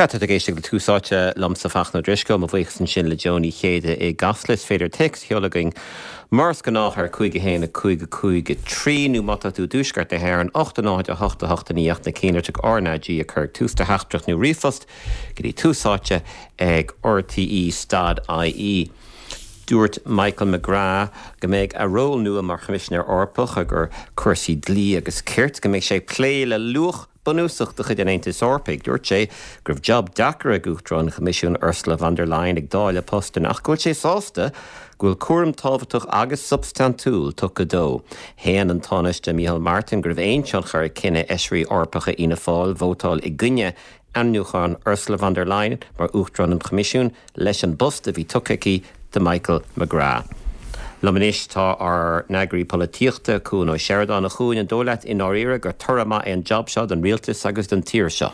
Sea, tá tú ag éisteacht le Tús Áite liomsa, Fachtna Ó Drisceoil. Mo bhuíochas ansin le Joe Ní Chéide i gCasla. Is féidir téacs a sheoladh chugainn mar is gnách ar 5 1 5 5 3 nó má tá tú i dtuaisceart na hÉireann, 8 0 8 8 9 8 na cinnlitreacha RnaG a chur ag tús do theachtaireacht nó ríomhphost go dtí Tús Áite ag rte stad ie. Dúirt Michael McGrath go mbeidh a ról nua mar Choimisinéir Eorpach ar chúrsaí dlí agus cirt, go mbeidh sé ag plé le luach bunúsach de chuid an Aontais Eorpaigh. Dúirt sé go raibh jab deacair ag Uachtarán an Choimisiúin Ursula von der Leyen ag dáileadh postanna ach go bhfuil sé sásta go bhfuil cúram tábhachtach agus substaintiúil tugtha dó. Shéan an Tánaiste Micheál Martin go raibh aon tionchar ag cinneadh fheisirí Eorpacha Fhianna Fáil vótáil i gcoinne ainmniúchán Ursula von der Leyen mar Uachtarán an Choimisiúin leis an bpost a bhí tugtha aici do Michael McGrath. Liom anois tá ár n-eagraí polaitíochta, Cuan Ó Seireadáin. A Chuain, an dóigh leat i ndáiríre gur toradh maith é an jab seo don rialtas agus don tír seo?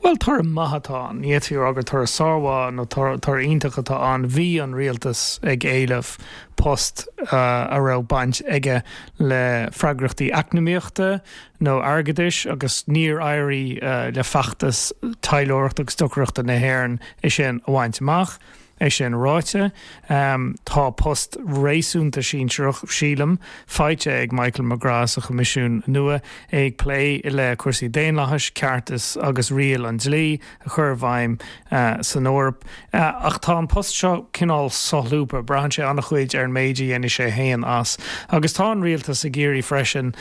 Bhuel, toradh maith atá ann. Ní fhéadfaí a rá gur toradh sármhaith nó toradh iontach atá ann. Bhí an rialtas ag éileamh post a raibh baint aige le freagrachtaí eacnamaíochta, nó airgeadais agus níor éirigh le feachtas taidhleoireachta agus stocaireachta na hÉireann é sin a bhaint amach. É sin ráite, tá post réasúnta sinsearach, sílim, faighte ag Michael McGrath sa Choimisiún nua, é ag plé le cúrsaí daonlathais, ceartas agus riail an dlí a chur i bhfeidhm san Eoraip. Ach tá an post seo cineál solúbtha, braitheann sé an-chuid ar an méid a dhéanfaidh sé féin as. Agus tá an rialtas ag iarraidh freisin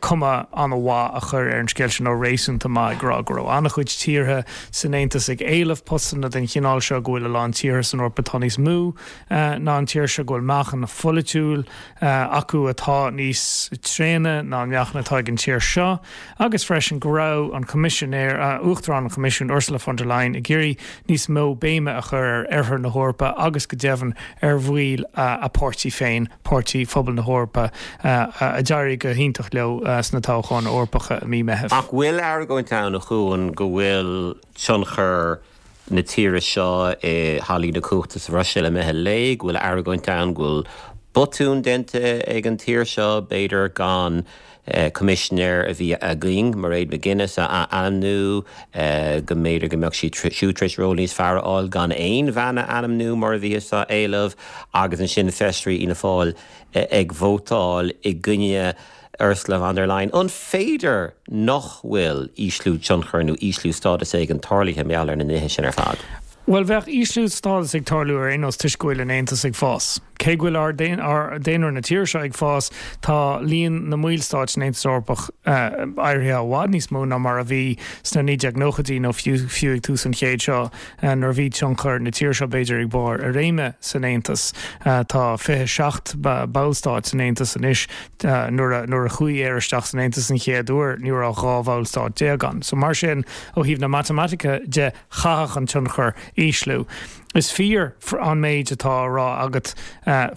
cuma an-mhaith a chur ar an scéal seo, nó réasúnta maith, ag rá go raibh an-chuid tíortha san Aontas ag éileamh postanna den chineál seo, go bhfuil a lán tíortha san Eoraip atá níos mó ná an tír seo, go bhfuil meáchan pholaitiúil acu atá níos tréine ná an meáchan atá ag an tír seo, agus freisin go raibh an Coimisinéir, Uachtarán an Choimisiúin, Ursula von der Leyen, ag iarraidh níos mó béime a chur ar Oirthear na hEorpa agus go deimhin ar bhaill a páirtí féin. Páirtí Phobal na hEorpa, a d'éirigh go hiontach leo sna toghcháin Eorpacha i mí Meithimh. Ach bhfuil argóint ann, a Chuain, go bhfuil tionchar na tíre seo i hallaí na cumhachta sa Bhruiséil imithe i léig, go bhfuil argóint ann go bhfuil botún déanta ag an tír seo, b'fhéidir, gan Coimisinéir a bhí againn, Mairead McGuinness, a ainmniú, go mb'fhéidir go mbeadh sí siúd tar éis ról níos fearr a fháil gan aon bhean a ainmniú mar a bhíothas á éileamh, agus ansin feisirí Fhianna Fáil ag vótáil i gcoinne Ursula von der Leyen. An féidir nach bhfuil ísliú tionchair nó ísliú stádas éigin tarlaithe mar gheall ar na nithe sin ar fad? Bhuel, bheadh ísliú stádas ag tarlú ar aon nós toisc go bhfuil an Aontas ag fás. Cé go bhfuil ár daonra na tíre seo ag fás, tá líon na mballstáit san Aontas Eorpach éirithe i bhfad níos mó ná mar a bhí sna 1990idí nó fiú ag tús an chéid seo nuair a bhí tionchar na tíre seo b'fhéidir ag barr a réime san Aontas. Tá 27 ballstát san Aontas anois. Nuair a chuaigh Éire isteach san Aontas an chéad uair ní raibh ach 12 bhallstát ann. So mar sin, ó thaobh na matamaitice de, chaithfeadh an tionchar ísliú. Is fíor an méid atá á rá agat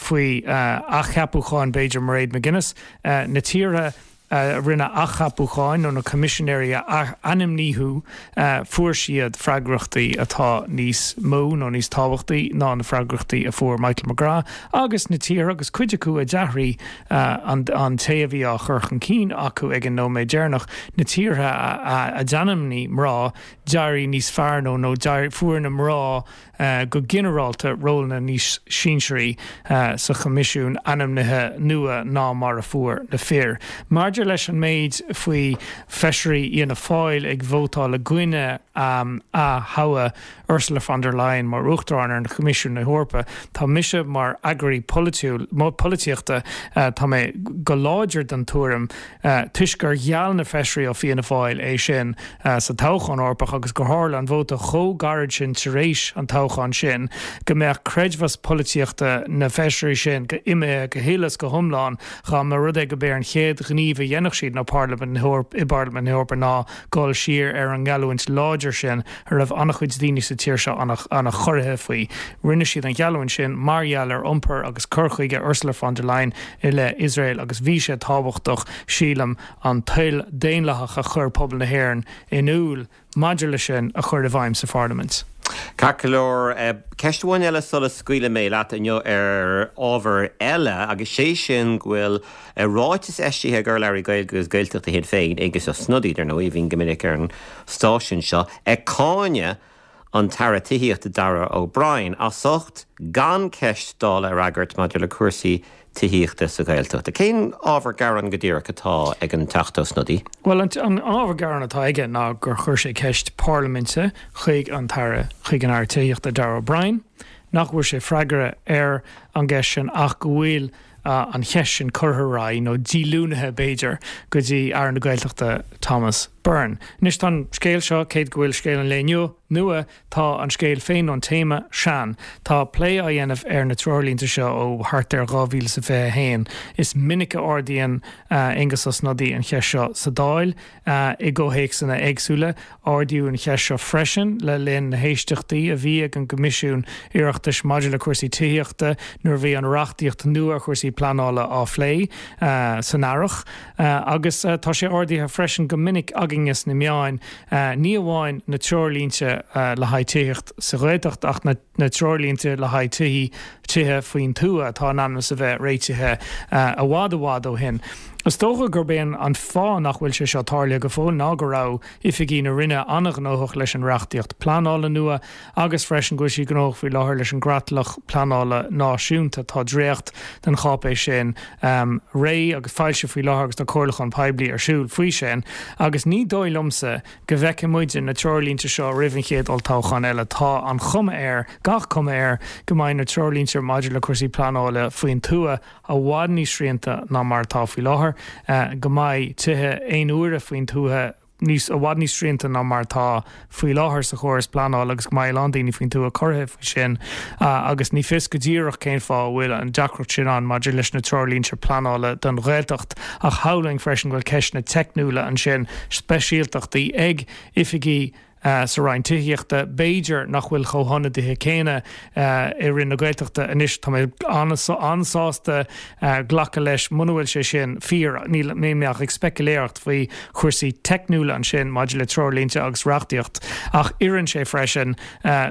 faoi athcheapúcháin b'fhéidir Mairead McGuinness. Na tíortha a rinne athcheapúcháin nó na coimisinéirí a ainmníodh fuair siad freagrachtaí atá níos mó nó níos tábhachtaí ná na freagrachtaí a fuair Michael McGrath agus na tíortha agus cuid acu a d'athraigh an té a bhí á chur chun cinn acu ag an nóiméad deireanach, na tíortha a d'ainmnigh mná d'éirigh níos fearr nó nó fuair na mná go ginearálta rólanna níos sinsearaí sa Choimisiún ainmnithe nua ná mar a fuair na fir. Maidir leis an méid faoi Feisirí Fhianna Fáil ag vótáil i gcoinne aththoghadh Ursula von der Leyen mar Uachtarán ar an Choimisiún na hEorpa, tá mise mar eagraí polaitiúil, polaitíochta, tá mé go láidir den tuairim, Toisc gur gheall na feisirí ó Fianna Fáil é sin sa toghchán Eorpach agus gur tharla an vóta chomh gairid sin tar éis an toghcháin sin go mbeadh creidmheas polaitíochta na bhfeisirí sin go imithe go huile is go hiomlán dá mba rud é go b'é an chéad ghníomh a dhéanfadh siad ná Parlaimint na hEorpa i bParlaimint na hEorpa ná dul siar ar an ngeallúint láidir sin a raibh an-chuid daoine sa tír seo an-chorraithe faoi. Rinne siad an gheallúint sin mar gheall ar iompar agus cur chuige Ursula von der Leyen i leith Iosrael agus bhí sé tábhachtach, sílim, an toil daonlathach a chuir pobal na hÉireann in iúl maidir leis sin a chur i bhfeidhm sa Pharlaimint. Ceart go leor, ceist amháin eile sula scaoilfidh mé leat inniu ar ábhar eile agus sé sin go bhfuil ráiteas eisithe ag urlabhraí Gaeilge agus Gaeltachta Shinn Féin, Aengus Ó Snodaigh, dar ndóigh, a bhíonn go minic ar an stáisiún seo, ag cáineadh. an tAire Tithíochta Darragh O'Brien as ucht gan ceist Dála a fhreagairt maidir le cúrsaí tithíochta sa Ghaeltacht. Cén ábhar gearáin go díreach atá ag an Teachta Ó Snodaigh? Bhuel, an ábhar gearáin atá aige ná gur chuir sé ceist parlaiminte chuig an tAire, chuig an Aire Tithíochta Darragh O'Brien, nach bhfuair sé freagra ar an gceist sin ach go bhfuil an cheist sin curtha ar aghaidh, nó díolúnaithe b'fhéidir, go dtí Aire na Gaeltachta Thomas Byrne. Anois tá an scéal seo, cé go bhfuil scéal an lae inniu nua, tá an scéal féin nó an téama sean. Tá plé á dhéanamh ar na treoirlínte seo ó thart ar 2021. Is minic a ardaíonn Aengus Ó Snodaigh an cheist seo sa Dáil. I gcomhthéacsanna éagsúla, ardaíodh an cheist seo freisin le linn na héisteachtaí a bhí ag an gCoimisiún Oireachtais maidir le cúrsaí tithíochta nuair a bhí an reachtaíocht nua ar chúrsaí pleanála á phlé san earrach. Agus tá sé ardaithe freisin go minic againne sna meáin, ní amháin na treoirlínte le haghaidh tithíocht sa Ghaeltacht ach na na treoirlínte le haghaidh tithí, tithe faoin tuath atá in ainm is a bheith réitithe i bhfad i bhfad ó shin. Is dócha gurb é an fáth nach bhfuil sé seo tarlaithe go fóill ná go raibh oifigí na Roinne an-ghnóthach leis an reachtaíocht pleanála nua agus freisin go bhfuil siad gnóthach faoi láthair leis an gcreatlach pleanála náisiúnta. Tá dréacht den cháipéis sin réidh agus foilsithe faoi láthair agus tá comhairliúchán poiblí ar siúl faoi sin agus ní dóigh liomsa go bhfeicfidh muide na treoirlínte seo roimh an chéad olltoghchán eile. Tá an chuma air, gach cuma air, go mbeidh na treoirlínte maidir le cúrsaí pleanála faoin tuath i bhfad níos srianta ná mar atá faoi láthair, go mbeidh tithe aon uaire faoin tuath níos, i bhfad níos srianta ná mar atá faoi láthair sa chóras pleanála agus go mbeidh a lán daoine faoin tuath corraithe faoi sin agus ní fios go díreach cén fáth a bhfuil an deacracht sin ann maidir leis na treoirlínte pleanála don Ghaeltacht. Ach shamhlóinn freisin go bhfuil ceisteanna teicniúla ansin, speisialtachtaí ag oifigí sa Roinn Tithíochta, b'fhéidir, nach bhfuil chomh hionadaithe céanna i Roinn na Gaeltachta anois. Tá mé an-sásta glacadh leis muna bhfuil sé sin fíor. Níl mé ach ag speiciléireacht faoi chúrsaí teicniúla ansin maidir le treoirlínte agus reachtaíocht ach oireann sé freisin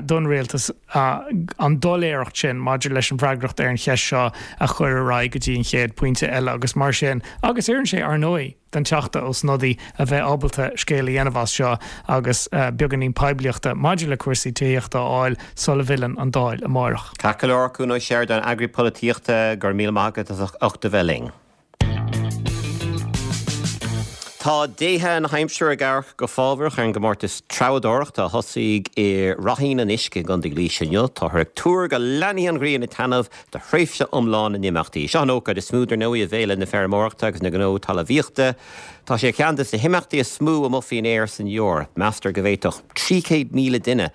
don Rialtas an doiléireacht sin maidir leis an bhfreagracht ar an cheist seo a chur ar aghaidh go dtí an chéad phointe eile agus mar sin, agus oireann sé, ar ndóigh, don Teachta Ó Snodaigh a bheith ábalta scéal a dhéanamh as seo agus beagáinín poiblíochta maidir le cúrsaí tithíochta a fháil sula bhfilleann an Dáil amárach. Ceart go leor, Cuan Ó Seireadáin, eagraí polaitíochta, go raibh míle maith agat as ucht a bheith linn. Tá déithe na haimsire ag amharc go fábhrach ar an gcomórtas treabhadóireachta a thosaigh i Ráithín an Uisce i gContae Laoise inniu. Táthar ag tuar go leanfaidh an ghrian ag taitneamh do thréimhse iomlán na n-imeachtaí. Seo an ócáid is mó, dar ndóigh, i bhféile na feirmeoireachta agus na gnó talmhaíochta. Tá sé ar cheann de na himeachtaí is mó amuigh faoin aer san Eoraip. Meastar go bhféadfadh 300,000 duine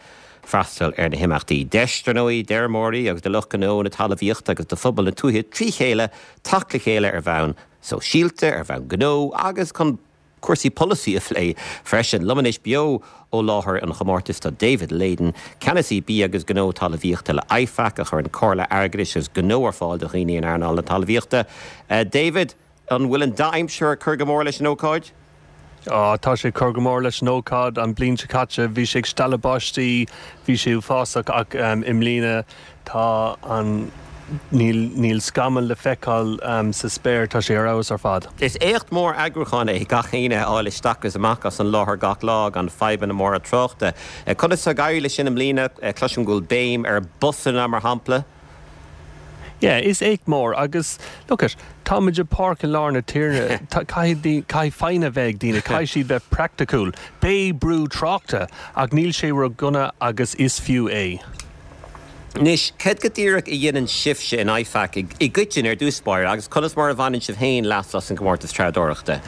freastal ar na himeachtaí. Deis, dar ndóigh, d'fheirmeoirí agus do lucht gnó na talmhaíochta agus do phobal na tuaithe trí chéile teacht le chéile ar bhonn sóisialta, ar bhonn gnó agus chun cúrsaí polasaí a phlé freisin. Liom anois beo ó láthair an chomórtais tá David Leyden, Ceannasaí Bia agus Gnó Talmhaíochta le IFAC, a chuireann comhairle airgeadais agus gnó ar fáil do dhaoine in earnáil na talmhaíochta. David, an bhfuil an dea-aimsir ag cur go mór leis an ócáid? Á, tá sé ag cur go mór leis an ócáid. An bhliain seo caite bhí sé ag stealladh báistí, bhí sé uafásach ach i mbliana tá an, níl, níl scamall le feiceáil sa spéir, tá sé ar fheabhas ar fad. Is éacht mór eagrúcháin é gach éinne a fháil isteach agus amach as an láthair gach lá gan fadhbanna móra tráchta. Conas tá ag éirí leis sin i mbliana? Cloisim go bhfuil béim ar busanna mar shampla. Yeah, is éacht mór agus look it, táimid i bpáirc i lár na tíre, caithfidh, caithfidh foighne a bheith ag daoine, caithfidh siad bheith praiticiúil. Beidh brú tráchta ach níl sé ró-dhona agus is fiú é. Anois, céard go díreach a dhéanann sibhse in IFAC i gcoitinne ar dtús báire agus conas mar a bhaineann sibh féin leas as an gcomórtas treabhdóireachta?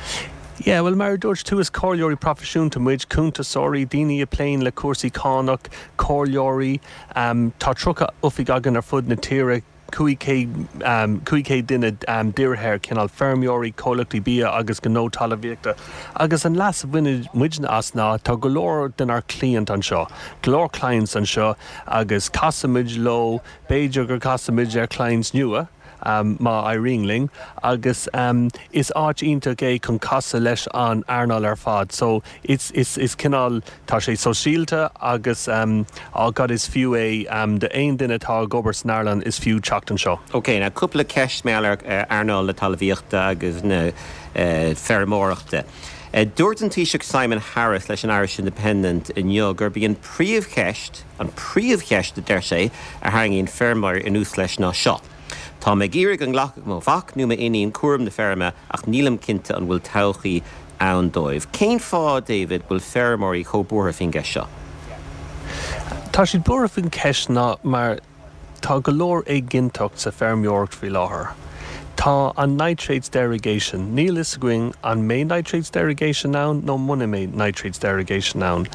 Yeah, bhuel mar a dúirt tú is comhairleoirí proifisiúnta muid, cuntasóirí, daoine a pléann le cúrsaí cánach, comhairleoirí, Tá 30 oifig againn ar fud na tíre, 500 duine dírithe ar chineál feirmeoirí, comhlachtaí bia agus gnó talmhaíochta. Agus an leas a bhaineann muidne as ná tá go leor denár cliant anseo, go leor clients anseo agus casaimid leo, b'fhéidir gur casaimid ar clients nua. má éiríonn linn, agus is áit iontach é chun casadh leis an earnáil ar fad. So, is, is, is cineál, tá sé sóisialta agus oh God is fiú é d'aon duine atá ag obair san earnáil, is fiú teacht anseo. Ok, now cúpla ceist mar gheall ar earnáil na talmhaíochta agus na feirmeoireachta. Dúirt an Taoiseach Simon Harris leis an Irish Independent inniu gurb í an príomhcheist, an príomhcheist a deir sé, a tharraingíonn feirmeoirí anuas leis ná seo, Tá mé ag iarraidh go nglacfadh mo mhac nó m'iníon cúram na feirme ach nílim cinnte an bhfuil todhchaí ann dóibh. Cén fáth, David, bhfuil feirmeoirí chomh buartha faoin gceist seo? Tá siad buartha faoin cheist ná mar tá go leor éiginnteacht sa feirmeoireacht faoi láthair. Tá an nitrates derogation, níl fhios againn an mbeidh nitrates derogation ann nó muna mbeidh nitrates derogation ann.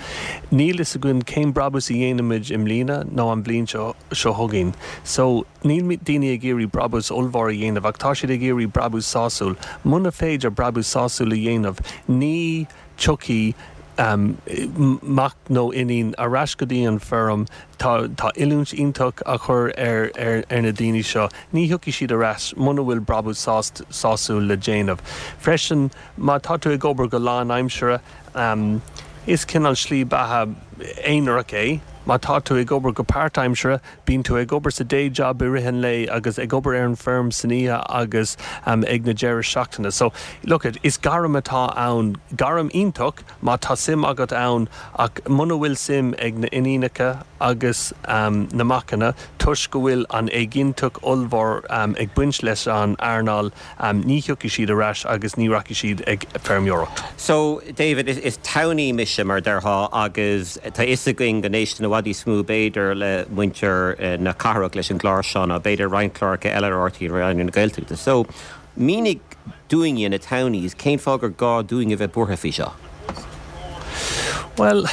Níl fhios againn cén brabús a dhéanfaimid i mbliana nó an bhliain seo chugainn. So, níl daoine ag iarraidh brabús ollmhór a dhéanamh ach tá siad ag iarraidh brabús sásúil. Muna féidir brabús sásúil a dhéanamh, ní tiocfaidh mac nó iníon ar ais go dtí an feirm, tá tá oiliúint iontach á chur ar ar ar na daoine seo, ní thiocfaidh siad ar ais muna bhfuil brabús sásúil le déanamh. Freisin, má tá tú ag obair go lánaimseartha, is cineál slí beatha aonarach é, má tá tú ag obair go páirtaimseartha, Bíonn tú ag obair sa day job i rith an lae agus ag obair ar an feirm san oíche agus ag na deireadh seachtaine. So, look it, is gairm atá ann, gairm iontach má tá suim agat ann ach muna bhfuil suim ag na iníonacha agus na macanna toisc go bhfuil an éiginnteacht ollmhór ag baint leis an earnáil, ní thiocfaidh siad ar ais agus ní rachaidh siad ag feirmeoireacht. So, David, is townie mise, mar a déarfá, agus tá fhios againn go n-éisteann i bhfad níos mó, b'fhéidir, le muintir na cathrach leis an gclár seo ná b'fhéidir roinnt cláracha eile ar RTÉ Raidió na Gaeltachta. So, mínigh dúinne, na townies, cén fáth gur gá dúinn a bheith buartha faoi seo? Bhuel,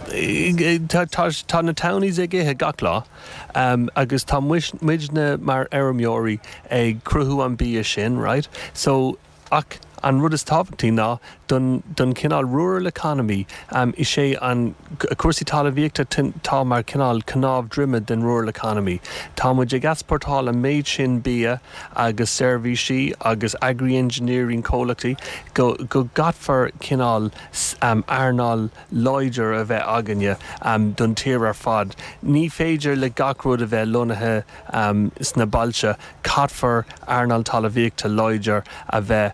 tá na townies ag ithe gach lá. Agus tá muidne mar fheirmeoirí ag cruthú an bia sin, right? So, ach an rud is tábhachtaí ná don, don chineál rural economy, is é an, cúrsaí talmhaíochta tá mar chineál cnámh droime den rural economy. Tá muid ag easpórtáil an méid sin bia agus seirbhísí agus agri-engineering comhlachtaí go, go gcaithfear cineál earnáil láidir a bheith againne don tír ar fad. Ní féidir le gach rud a bheith lonnaithe sna bailte, caithfear earnáil talmhaíochta láidir a bheith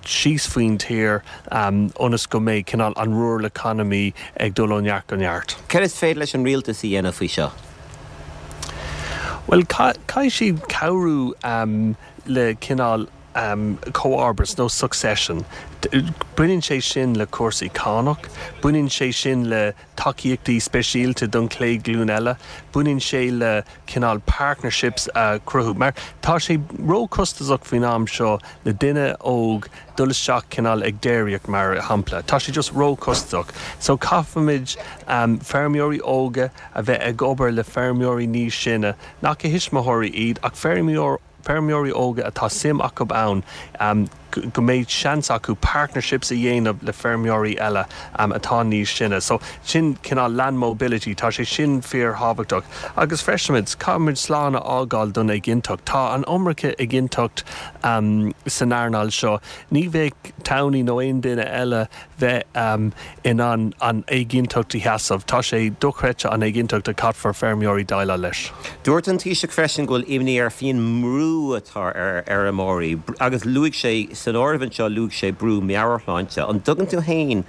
síos faoin tír ionas go mbeidh cineál an rural economy ag dul ó neart go neart. Céard is féidir leis an rialtas a dhéanamh faoi seo? Bhuel, caithfidh siad cabhrú le cineál. comharbas nó succession. Baineann sé sin le cúrsaí cánach, baineann sé sin le tacaíochtaí speisialta don chéad ghlúin eile, baineann sé le cineál partnerships a chruthú. Mar tá sé róchostasach faoin am seo le duine óg dul isteach cineál ag déiríocht mar shampla. Tá sé just róchostasach. So caithfimid feirmeoirí óga a bheith ag obair le feirmeoirí níos sine, nach a thuismitheoirí iad ach feirmeoir, feirmeoirí óga atá suim acu ann, go mbeidh seans acu partnerships a dhéanamh le feirmeoirí eile atá níos sine. So, sin cineál land mobility, tá sé sin fíorthábhachtach. Agus freisin, caithfimid slán a fhágáil don éiginnteacht. Tá an iomarca éiginnteacht san earnáil seo. Ní bheadh townie nó aon duine eile bheith in ann an éiginnteacht a sheasamh. Tá sé dochreidte an éiginnteacht a caithfear feirmeoirí déileáil leis. Dúirt an Taoiseach freisin go bhfuil imní air faoin mbrú atá ar fheirmeoirí agus luaigh sé san áireamh anseo luaigh sé brú meabhairshláinte. An dtugann tú féin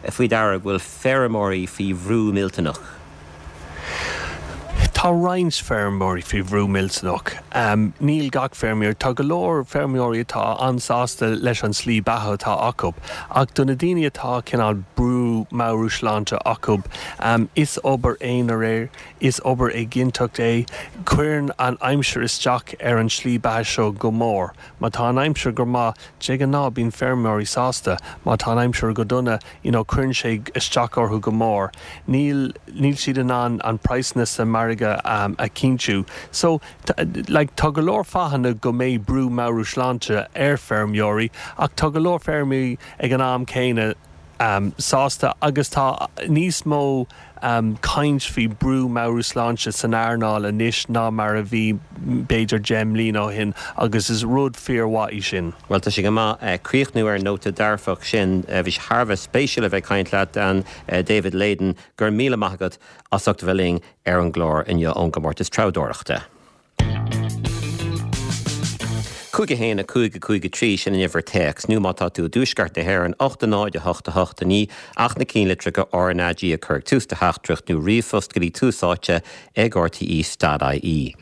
faoi deara go bhfuil feirmeoirí faoi bhrú millteanach? Tá roinnt feirmeoirí faoi bhrú millteanach. Níl gach feirmeoir. Tá go leor feirmeoirí atá an-sásta leis an slí beatha atá acu. Ach do na daoine atá cineál brú meabhairshláinte acu, is obair aonair é, is obair éiginnteacht é. Cuireann an aimsir isteach ar an slí beatha seo go mór. Má tá an aimsir go maith, de ghnáth bíonn feirmeoirí sásta. Má tá an aimsir go dona, you know cuireann sé isteach orthu go mór. Níl, níl siad in ann an praghsanna sa margadh a chinntiú. So, like tá go leor fáthanna go mbeidh brú meabhairshláinte ar feirmeoirí ach tá go leor feirmeoirí ag an am céanna sásta agus tá níos mó caint faoi brú meabhairshláinte san earnáil anois ná mar a bhí b'fhéidir 10 mbliana ó shin agus is rud fíormhaith í sin. Bhuel, tá sé go maith críochnú ar an nóta dearfach sin. Bhí sé thar a bheith spéisiúil a bheith ag caint leat, David Leyden. Go raibh míle maith agat as ucht a bheith linn ar an gclár inniu ón gcomórtas treabhdóireachta. 5 1 5 5 3, sin an uimhir téacs, nó má tá tú i dtuaisceart na hÉireann, 8 0 8 8 9, ach na cinnlitreacha RnaG a chur ag tús do theachtaireacht nó ríomhphost go dtí tús áite ag rte dot ie.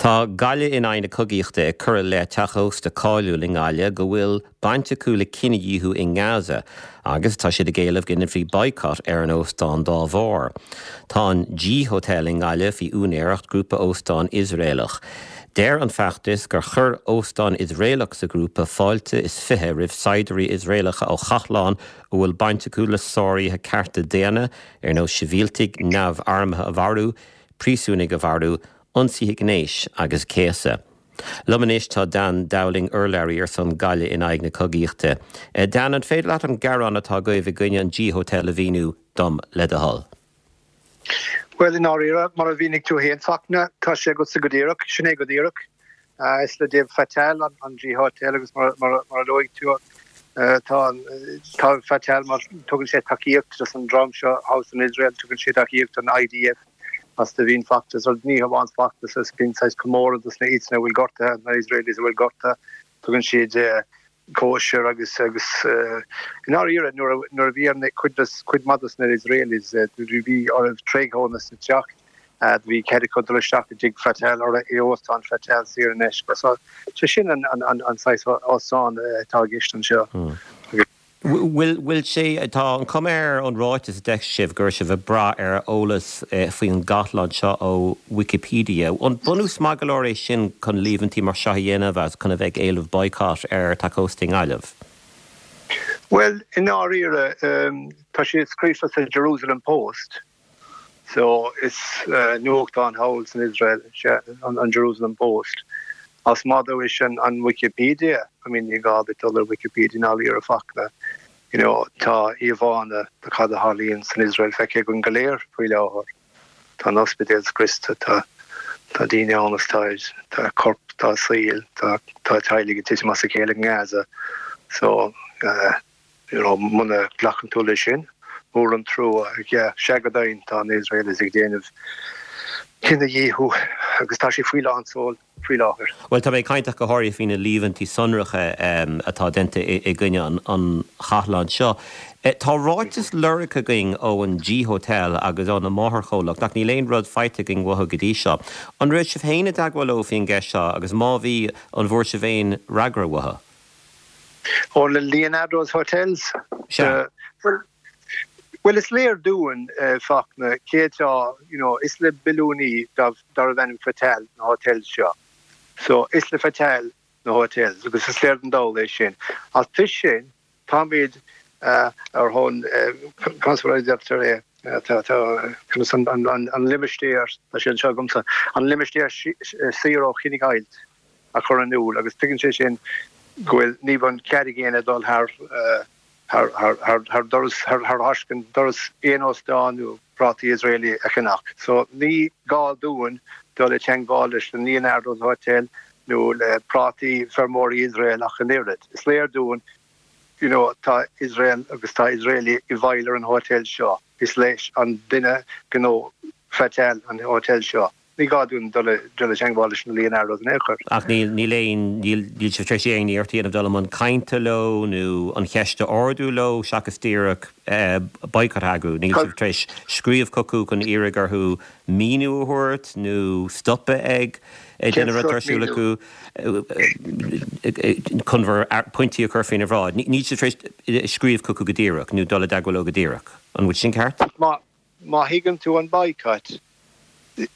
Tá Gaillimh in aghaidh na cogaíochta ag cur i leith teach ósta cáiliúil i nGaillimh go bhfuil baint acu le cinedhíothú i nGaza agus tá siad ag éileamh go ndéanfaí boycott ar an óstán dá bharr. Tá an G Hotel i nGaillimh faoi úinéireacht grúpa óstán Iosraelach. Deir an feachtas gur chuir óstán Iosraelach sa ghrúpa fáilte is 20 roimh saighdiúirí Iosraelacha ó chathlán a bhfuil baint acu le sáruithe cearta daonna ar nós sibhialtaigh neamharmtha a mharú, príosúnaigh a mharú, ionsaithe gnéis agus céasadh. Liom anois tá Dan Dowling, urlabhraí ar son Gaillimh in aghaidh na cogaíochta. Dan, an féidir leat an gearán atá agaibh i gcoinne an G Hotel a mhíniú dom, le do thoil? Bhuel, i ndáiríre, mar a mhínigh tú féin, Fachtna, tá sé agatsa go díreach. Sin é go díreach. Is le David Fattal an G Hotel agus mar a luaigh tú, tá Fattal, mar tugann sé tacaíocht dos an dream seo thall san Iosrael, tugann sé tacaíocht don IDF agus do bhí an feachtas, or ní hamháin feachtas, is bíonn saghas comóradh dos na iadsan a bhfuil gortaithe, na Israelis a bhfuil gortaithe, tugann siad cóisir agus agus i ndáiríre nuair a nuair a bhí ar na cuid dos cuid maith dos na Israelis nuair a bhí orthu tréigeadh sa teach do bhí cead acu dul isteach i dtigh Fattal or i óstán Fattal saor in aisce. So sé sin an an an an saghas óstán atá i gceist anseo. Agus. Bhfuil, bhfuil sé, tá an chuma air ón ráiteas a d'eisigh sibh go raibh sibh ag brath ar eolas faoin gcathlán seo ó Wikipedia. An bunús maith go leor é sin chun líomhaintí mar seo a dhéanamh agus chun a bheith ag éileamh boycott ar teach ósta i nGaillimh? Bhuel, i ndáiríre, tá sé scríofa sa Jerusalem Post. So, is nuachtán thall san Iosrael sea an Jerusalem Post. Ach má dúirt an Wikipedia, I mean ní gá duit dul ar Wikipedia i ndáiríre a Fhachtna, you know tá íomhánna de cad a tharlaíonn san Iosrael feicthe againn go léir faoi láthair. Tá na hospidéil scriosta, tá tá daoine ann is tá tá corp dá saol, tá tá teaghlaigh ag titim as a chéile i nGaza. So, eh. You know, muna nglacann tú leis sin, mór an trua. Yeah, sea go deimhin, tá na Israelis ag déanamh cinedhíothú agus tá sé faoi lán seoil faoi láthair. Bhuel, tá mé ag caint ach go háirithe faoi na líomhaintí sonracha atá déanta i gcoinne an chathláin seo. Tá ráiteas lorgtha againn ó an G Hotel agus óna máthairchomhlacht ach níl aon rud faighte againn uathu go dtí seo. An raibh sibh féin i dteagmháil leo faoin gceist seo agus má bhí, an bhfuair sibh aon fhreagra uathu? Ó na Leonardo's Hotels? Sea. Bhuel, bhuel is léir dúinn, Fachtna, cé atá, you know, is le billiúnaí darbh ainm Fattal na hotels seo. So, is le Fattal na hotels agus is léir don dall é sin. Ach toisc sin, táimid ar shon, conas mar a deirtear é, tá, tá, conas an, an, an limistéar, tá sé anseo agamsa, an limistéar saor ó chinedheighilt. a chur in iúl agus tuigeann sé sin go bhfuil, ní bheidh cead ag éinne dul thar thar doras, thar thaiscint doras aon óstán nó prátaí Israeli a cheannach. So ní gá dúinn dul i teangmháil leis an Leonardo's Hotel nó le prátaí feirmeoirí Iosrael ach an oiread. Is léir dúinn you know tá Iosrael agus tá Israeli i bhfeighil ar an hotel seo. Is leis an duine gnó Fattal an hotel seo. Ní gá dúinn dul i dteangmháil leis na Leonardos in aon chor. Ach níl, níl aon, níl, níl sibh tar éis aon iarracht a dhéanamh dul i mbun cainte leo nó an cheist a ardú leo seachas díreach boycott a eagrú. Níl sibh tar éis scríobh chucu chun iarraidh orthu míniú a thabhairt nó stopadh ag déanamh rud atá ar siúl acu chun bhur pointí a chur faoina bhráid. Níl sibh tar éis scríobh chucu go díreach nó dul i dteagmháil leo go díreach. An bhfuil sin ceart? Má thuigeann tú an boycott,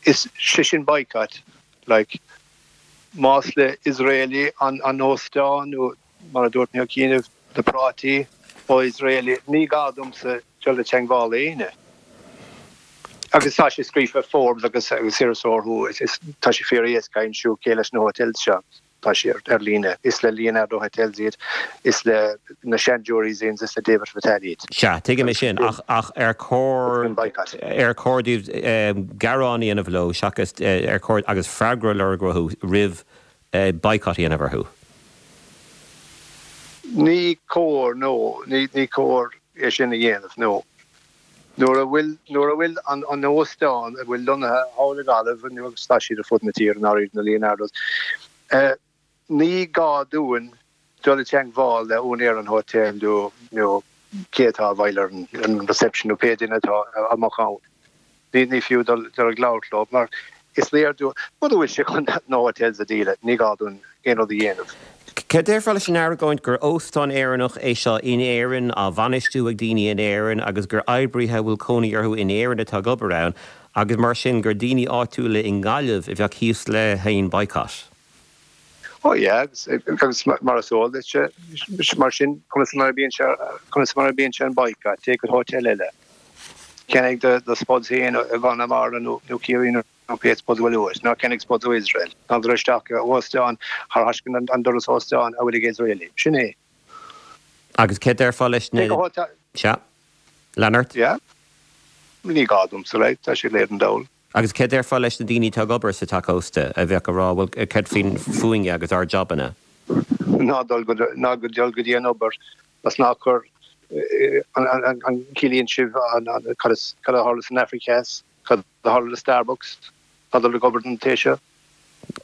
is sé sin boycott, like, más le Israeli an an óstán nó mar a dúirt mé cheana, na prátaí ó Israeli, ní gá domsa dul i teangmháil le éinne. Agus tá sé scríofa Forbes agus agus iriseoir is tá sé fíor éasca a aimsiú cé leis na hotels seo. Tá sé ar líne. Is le Leonardo Hotels iad, is le na Shandury's Inns, is le David Fattal iad. Sea, tuigim é sin, ach ach ar chóir ar chóir daoibh gearán a dhéanamh leo seachas ar chóir agus freagra a lorg uathu roimh boycott a dhéanamh orthu? Ní cóir, no. Ní cóir é sin a dhéanamh, no. Nuair a bhfuil nuair a bhfuil an an óstán a bhfuil lonnaithe thall i nGaillimh agus tá siad ar fud na tíre, i ndáiríre, na Leonardos. Ní gá dúinn dul i dteangmháil le úinéir an hotel nó nó cé atá i bhfeighil ar an reception nó pé duine atá amach ann. Ní fiú dul ag labhairt leo mar is léir dúinn muna bhfuil sé chun na hotels a dhíol, ní gá dúinn aon rud a dhéanamh. Céard a déarfá leis an argóint gur óstán Éireannach é seo in Éirinn, á bhainistiú ag daoine in Éirinn agus gur oibrithe a bhfuil cónaí orthu in Éirinn atá ag obair ann agus mar sin gur daoine áitiúla i nGaillimh a bheadh thíos le haon boycott? Oh yeah, agus mar is eol duit, mar sin, conas mar a bhíonn sé, conas mar a bhíonn sé an boycott, téigh go hotel eile, ceannaigh do do spuds féin i gConamara nó nó Ciarraí nó pé spuds a bhfuil uait, ná ceannaigh spuds ó Iosrael, ná tar isteach i óstán thar thaisceann an doras óstán a bhfuil ag Israeli. Sin é. Agus céard a déarfá leis na. Téigh go hotel. Sea. Lean ort. Yeah. Ní gá domsa, like, tá sé léir don dall. Agus céard a déarfá leis na daoine atá ag obair sa teach ósta a bheadh ag rá, bhuel, céard faoin, fúinne agus ár jabanna? Ná dul go, ná go dul go dtí an obair agus ná cur, an, an ciallaíonn sibh an, an, cad is, cad a tharla san Afraic Theas, cad a tharla le Starbucks, ná dul ag obair don té seo.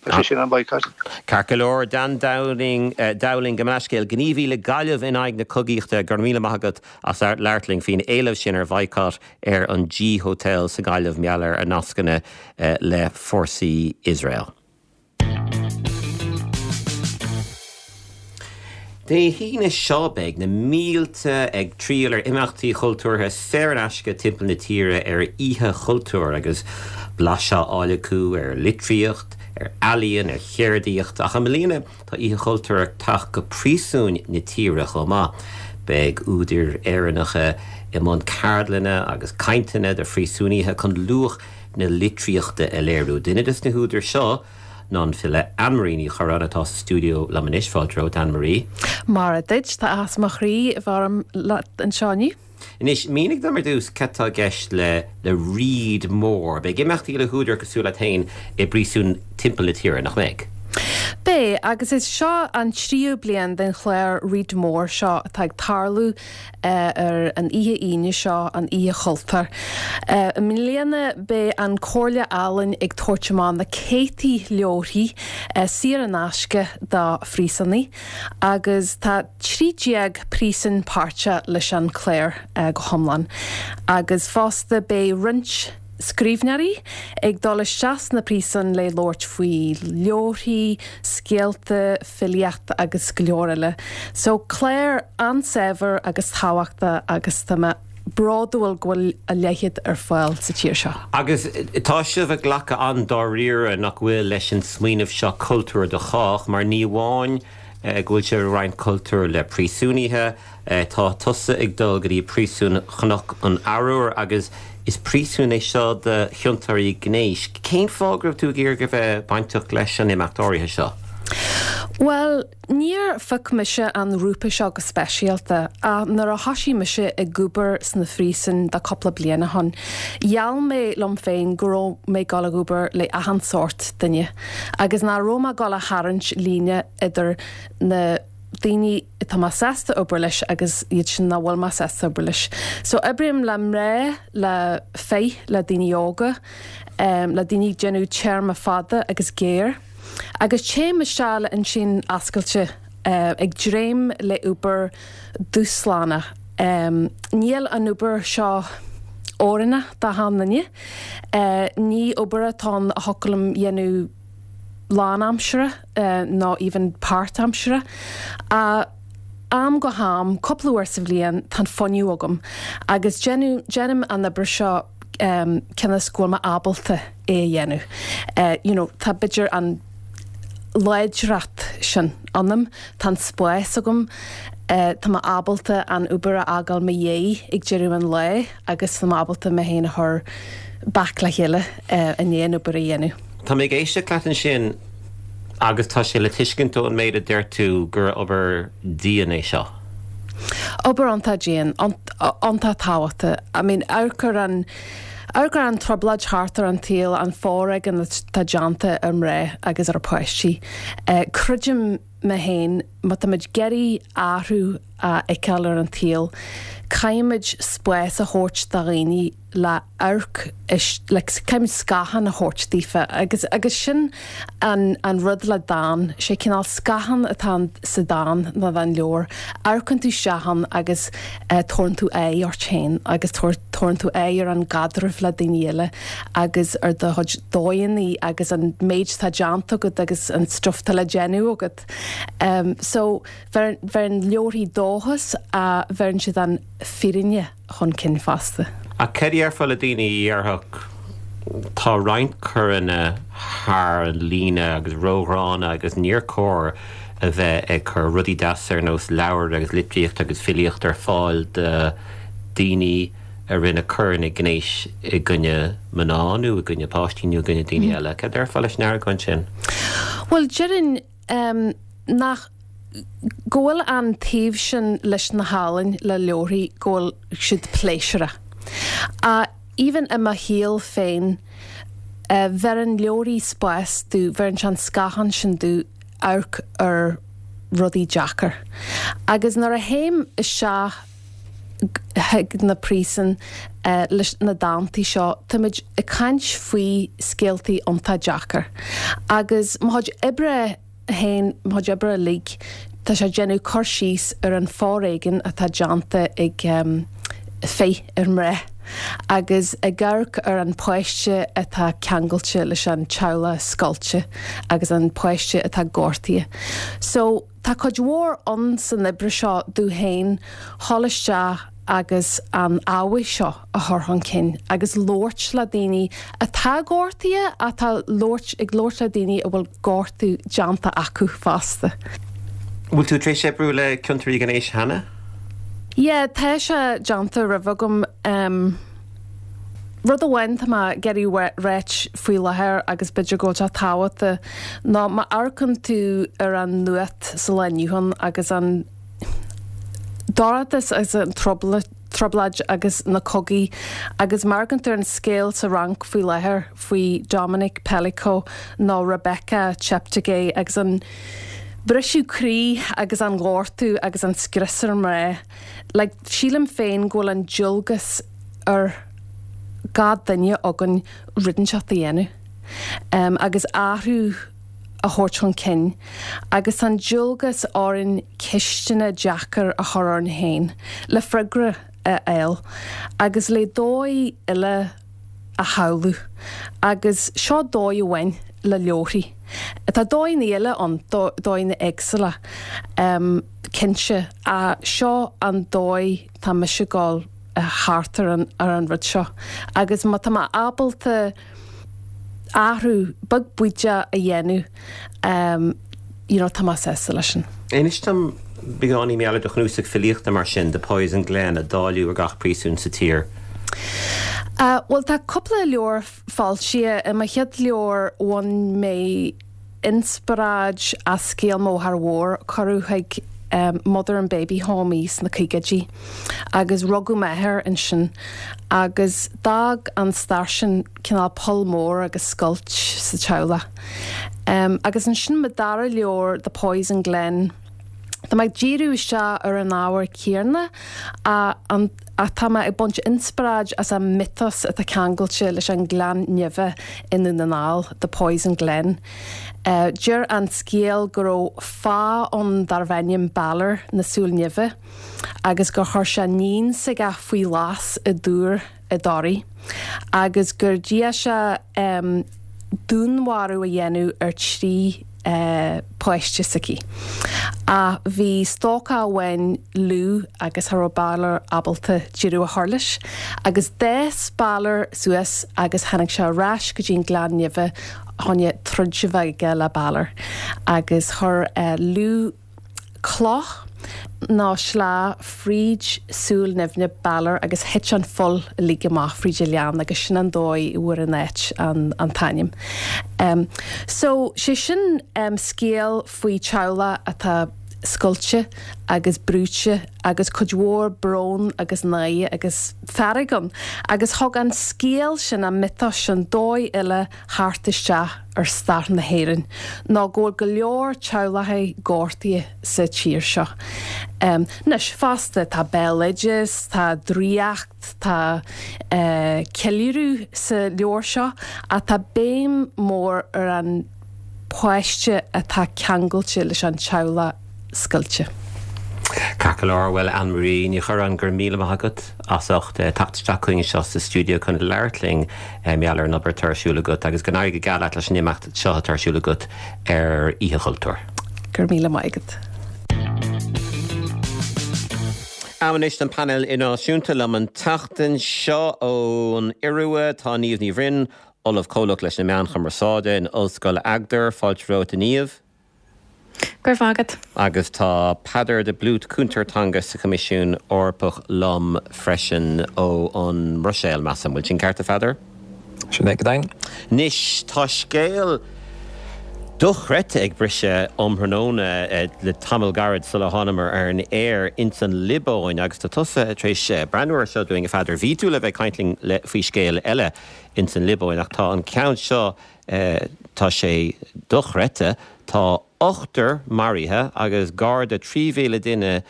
Tá sé sin an boycott. Ceart go leor, Dan Dowling, Dowling, gabh mo leithscéal, gníomhaí le Gaillimh in aghaidh na cogaíochta, go raibh míle maith agat as labhairt linn faoin éileamh sin ar bhoycott ar an G Hotel sa Ghaillimh mar gheall ar a nascanna le fórsaí Iosrael. Dé hAoine seo beidh na mílte ag triall ar imeachtaí chultúrtha saor in aisce timpeall na tíre ar Oíche Chultúir agus blaiseadh á fháil acu ar litríocht, ar ealaíon, ar cheardaíocht ach i mbliana tá Oíche Chultúir ag teacht go príosúin na tíre chomh maith. Beidh údair Éireannacha i mbun ceardlanna agus cainteanna do phríosúnaithe chun luach na litríochta a léiriú. Duine des na húdair seo ná an file Anne-Marie Ní Churráin atá sa stiúideo liom anois. Fáilte romhat, Anne-Marie. Mairfidh duit, tá áthas mo chroí a bheith orm leat anseo inniu. Anois, mínigh dom ar dtús cad tá i gceist le le Read More. Beidh imeachtaí le húdair cosúil leat féin i bpríosúin timpeall na tíre, nach mbeidh? Beidh, agus is seo an tríú bliain den chlár Read More seo atá ag tarlú ar an oíche Aoine seo, an Oíche Chultúir. I mbliana beidh an Comhairle Ealaíon ag tabhairt amach na céadtaí leabharthaí saor in aisce do phríosúnaigh agus tá 13 príosún páirteach leis an clár go hiomlán agus fosta beidh roinnt scríbhneoirí ag dul isteach sna príosúin le labhairt faoi leabharthaí, scéalta, filíocht agus go leor eile. So clár an-saibhir agus tábhachtach agus tá mé bródúil go bhfuil a leithéid ar fáil sa tír seo. Agus tá sibh ag glacadh an-dáiríre, nach bhfuil, leis an smaoineamh seo cultúr do chách, mar ní amháin go bhfuil sibh ag roinnt cultúir le príosúnaithe, Tá tusa ag dul go dtí príosún Chnoc an Arbhair agus is príosún é seo do chiontóirí gnéis. Cén fáth go raibh tú ag iarraidh a bheith bainteach leis an imeacht áirithe seo? Bhuel, níor phioc mise an ghrúpa seo go speisialta ach nuair a thoisigh mise ag obair sna phríosúin do cúpla bliain ó shoin, gheall mé liom féin go raibh mé ag dul ag obair le achan sórt duine agus nach raibh mé ag dul a tharraingt líne idir na daoine atá mé sásta obair leis agus iad sin nach bhfuil mé sásta obair leis. So oibrím le mná, le fir, le daoine óga, le daoine ag déanamh téarma fada agus géar. Agus téim isteach le intinn oscailte, ag dréim le obair dúshlánach. Níl an obair seo oiriúnach d'achan duine. Ní obair atá ann a thiocfadh liom dhéanamh lánaimseartha nó even páirtaimseartha. Ach am go ham, cúpla uair sa bhliain, tá an fuinneamh agam agus déanaim an obair seo cionn is go bhfuil mé ábalta é a dhéanamh. You know, tá b'fhéidir an láidreacht sin ionam, tá an spás agam, tá mé ábalta an obair a fhágáil mo dhiaidh ag deireadh an lae agus tá mé ábalta mé féin a chur back le chéile i ndiaidh an obair a dhéanamh. Tá mé ag éisteacht leat ansin agus tá sé le tuiscint ón méid a deir tú gur obair dian é seo. Obair iontach dian, iontach tábhachtach. I mean, amharc ar an, amharc ar an trioblóid thart ar an tsaol, an foréigean atá déanta ar mná agus ar páistí. Creidim mé féin, má táimid ag iarraidh athrú. a fheiceáil ar an tsaol, caithfimid spás a thabhairt do dhaoine le amharc, like caithfimid scáthán a thabhairt daofa agus agus sin an an rud le dán, sé cineál scáthán atá sa dán nó an leabhar, amharcann tú isteach ann agus tabharann tú aghaidh ort féin agus tabharann tú aghaidh ar an gcaidreamh le daoine eile agus ar do chuid dóigheanna agus an méid atá déanta agat agus an stuff atá le déanamh agat. So bheireann leabharthaí dóchas ach bheireann siad an fírinne chun cinn fosta. Ach cad a déarfá le daoine a dhéarfadh tá roinnt coireanna thar an líne agus róghránna agus níor chóir a bheith ag cur rudaí deasa ar nós leabhair agus litríocht agus filíocht ar fáil do daoine a rinne coireanna gnéis i gcoinne mná nó i gcoinne páistí nó i gcoinne daoine eile. Cad a déarfá leis an argóint sin? Bhuel, déarfainn nach, go bhfuil an taobh sin leis na healaín, le leabharthaí, go bhfuil siad pléisiúrach. Ach even i mo shaol féin, bheireann leabharthaí spás domh, bheireann sé an scáthán sin domh amharc ar rudaí deacair. Agus nuair a théim isteach chuig na príosúin leis na dántaí seo, táimid ag caint faoi scéaltaí iontach deacair. Agus mo chuid oibre féin, mo chuid oibre uilig, tá sé ag déanamh cur síos ar an foréigean atá déanta ag fir ar mná agus ag amharc ar an páiste atá ceangailte leis an teaghlach scoilte agus an páiste atá gortaithe. So. Tá cuid mhór ann san oibre seo domh féin dhul isteach agus an ábhar seo a chur chun cinn agus labhairt le daoine atá gortaithe atá labhairt ag labhairt le daoine a bhfuil gortú déanta acu fosta. Bhfuil tú tar éis oibriú le ciontóirí gnéis cheana? Yeah, tá sé déanta roimhe agam. Rud amháin tá mé ag iarraidh ráit faoi láthair agus b'fhéidir go bhfuil sé tábhachtach ná má amharcann tú ar an nuacht sa lá inniu ann agus an dorchadas agus an trioblóid agus na cogaí agus má amharcann tú ar an scéal sa Fhrainc faoi láthair faoi Dominique Pelicot nó Rebecca Cheptegei agus an briseadh croí agus an gortú agus an scrios ar mná like sílim féin go bhfuil an dualgas ar gach duine againn rud inteacht a dhéanamh agus athrú a thabhairt chun cinn agus tá an dualgas orainn ceisteanna deacair a chur orainn féin le freagra a fháil agus le dóigh eile a shamhlú agus seo dóigh amháin le leabharthaí. Tá dóigheanna eile ann, dóigheanna éagsúla cinnte ach seo an dóigh tá mise ag dul thart ar an ar an rud seo agus má tá mé ábalta athrú beag bídeach a dhéanamh you know tá mé sásta leis sin. Inis dom beagáinín mar gheall ar do chnuasach filíochta mar sin, The Poison Glen, a dáileadh ar gach príosún sa tír. Bhuel tá cúpla leabhar foilsithe. I mo chéad leabhar bhain mé inspioráid as scéal mo mháthar mhór. Cuireadh chuig Mother and Baby Home í sna caogaidí agus rugadh m'athair ansin agus d'fhág an stair sin cineál poll mór agus scoilt sa teaghlach. Agus ansin mo dara leabhar The Poison Glen, Tá mé ag díriú isteach ar an ábhar céanna ach tá mé ag baint inspioráid as an mythos atá ceangailte leis an Gleann Nimhe i nDún na nGall, The Poison Glen. Deir an scéal go raibh fáidh ann darbh ainm Balor na Súl Nimhe agus gur chuir sé níon s'aige faoi ghlas i dtúr i dToraigh agus gur d'iarr sé dúnmharú a dhéanamh ar thrí páiste s'aici. Ach bhí stócach amháin Lugh agus cha raibh Balor ábalta deireadh a chur leis. Agus d'fhás Balor suas agus tháinig sé ar ais go dtí an Gleann Nimhe chun troid a bheith aige le Balor. Agus chuir Lugh cloch nó sleá fríd súil nimhne Balor agus thit an fuil uilig amach fríd an ghleann agus sin an dóigh a bhfuair an áit an t-ainm. So, sé sin scéal faoi teaghlach atá. scoilte agus brúite agus cuid mhór brón agus náire agus fearg ann. Agus thug an scéal sin, an miotas sin, dóigh eile theacht isteach ar stair na hÉireann ná go bhfuil go leor teaghlachaí gortaithe sa tír seo. Anois, fosta, tá béaloideas, tá draíocht, tá ceiliúradh sa leabhar seo ach tá béim mhór ar an páiste atá ceangailte leis an teaghlach scoilte. Ceart go leor, bhuel Anne Marie Ní Churráin, go raibh míle maith agat as ucht teacht isteach chugainn anseo sa stiúideo chun labhairt linn mar gheall ar an obair atá ar siúl agat agus go n-éirí go geal leat leis an imeacht seo atá ar siúl agat ar Oíche Chultúir. Go raibh míle maith agat. Am anois don painéal idirnáisiúnta liom an tseachtain seo ón Iorua tá Niamh Ní Bhroin, Ollamh Comhlach leis na Meáin Chumarsáide in Ollscoil Agder. Fáilte romhat a Niamh. Go raibh maith agat. Agus tá Peadar de Blúit, Cúntóir Teanga sa Choimisiún Eorpach liom freisin ó an mBruiséil, measaim. Bhfuil sin ceart, a Pheadair? Sin é go deimhin. Anois, tá scéal dochreidte ag briseadh um thráthnóna le tamall gairid sular thánamar ar an aer ins an Liobáin agus tá tusa tar éis breathnú air seo dúinn, a Pheadair. Bhí tú le bheith ag caint linn faoi scéal eile ins an Liobáin ach tá an ceann seo, tá sé dochreidte, tá ochtar maraithe agus gar do 3,000 duine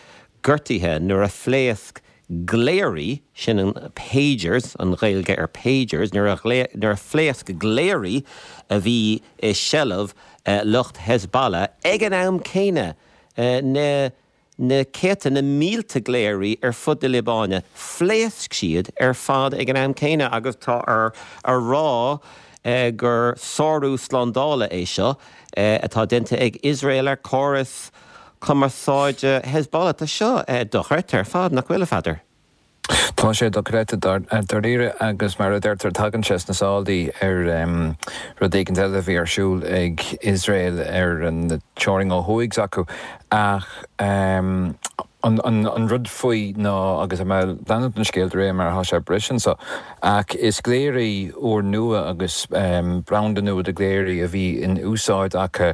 gortaithe nuair a phléasc glaoirí, sin an pagers, an Ghaeilge ar pagers, nuair a nuair a phléasc glaoirí a bhí i seilbh lucht Hezbollah ag an am céanna, na na céadta, na mílte glaoirí ar fud na Liobáine, phléasc siad ar fad ag an am céanna agus tá á rá gur sárú slándála é seo atá déanta ag Iosrael ar chóras cumarsáide Hezbollah. Tá seo dochreidte ar fad, nach bhfuil, a Pheadair? Tá sé dochreidte dáiríre agus mar a deirtear tagann sé sna sálaí ar rud éigin eile a bhí ar siúl ag Iosrael ar an teorainn ó thuaidh s'acu ach an rud faoi ná, agus tá mé ag leanúint an scéil de réir mar atá sé ag briseadh anseo, ach is glaoirí úrnua agus branda nua de ghlaoirí a bhí in úsáid acu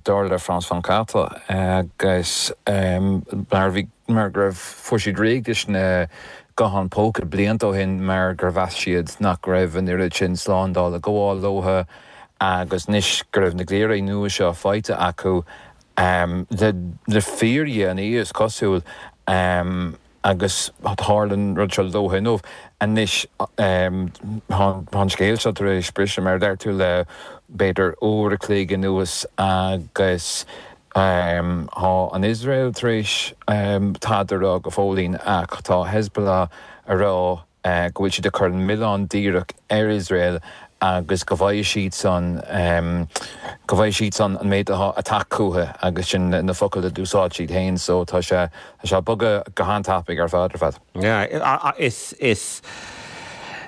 dar le France Vingt-Quatre agus mar a bhí mar go raibh, fuair siad réidh leis na gutháin póca blianta ó shin mar gur mheas siad nach raibh an oiread sin slándála ag gabháil leo agus anois go raibh na glaoirí nua seo faighte acu le fíordhéanaí is cosúil agus tharla an rud seo leo inniu. Anois tá an scéal seo tar éis briseadh mar a deir tú le b'fhéidir uair a chloig anuas agus Tá an Iosrael tar éis tada a rá go fóillín ach tá Hezbollah a rá go bhfuil siad ag cur an milleán díreach ar Iosrael agus go bhfaighidh siadsan go bhfaighidh siadsan an méid atá ag teacht chucu agus sin na focail a d'úsáid siad féin so tá sé tá sé ag bogadh go han-tapaidh ar fad ar fad. Yeah, is is